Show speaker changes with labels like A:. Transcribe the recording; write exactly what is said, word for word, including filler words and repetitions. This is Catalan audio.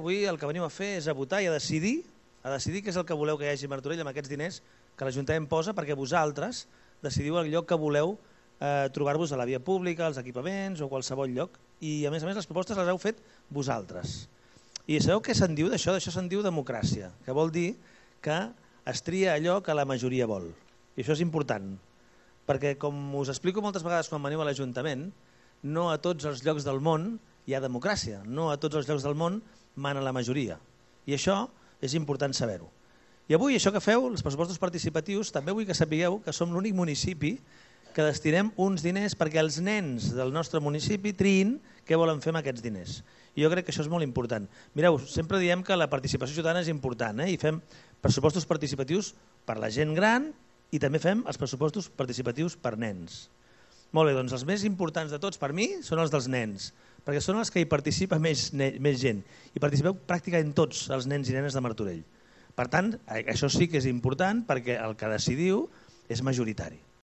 A: avui el que venim a fer és a votar i a decidir, a decidir què és el que voleu que hi hagi a Martorell amb aquests diners que l'Ajuntament posa, perquè vosaltres decidiu el lloc que voleu eh, trobar-vos a la via pública, als equipaments o qualsevol lloc. I a més a més les propostes les heu fet vosaltres. I sabeu què se'n diu d'això? D'això se'n diu democràcia, que vol dir que es tria allò que la majoria vol. I això és important, perquè com us explico moltes vegades quan veniu a l'Ajuntament, no a tots els llocs del món hi ha democràcia, no a tots els llocs del món mana la majoria. I això és important saber-ho. I avui això que feu, els pressupostos participatius, també vull que sapigueu que som l'únic municipi que destinem uns diners perquè els nens del nostre municipi triïn què volen fer amb aquests diners. I jo crec que això és molt important. Mireu, sempre diem que la participació ciutadana és important, eh? I fem pressupostos participatius per la gent gran i també fem els pressupostos participatius per nens. Molt bé, doncs els més importants de tots per mi són els dels nens, perquè són els que hi participa més, més gent. I participeu pràcticament tots els nens i nenes de Martorell. Per tant, això sí que és important perquè el que decidiu és majoritari.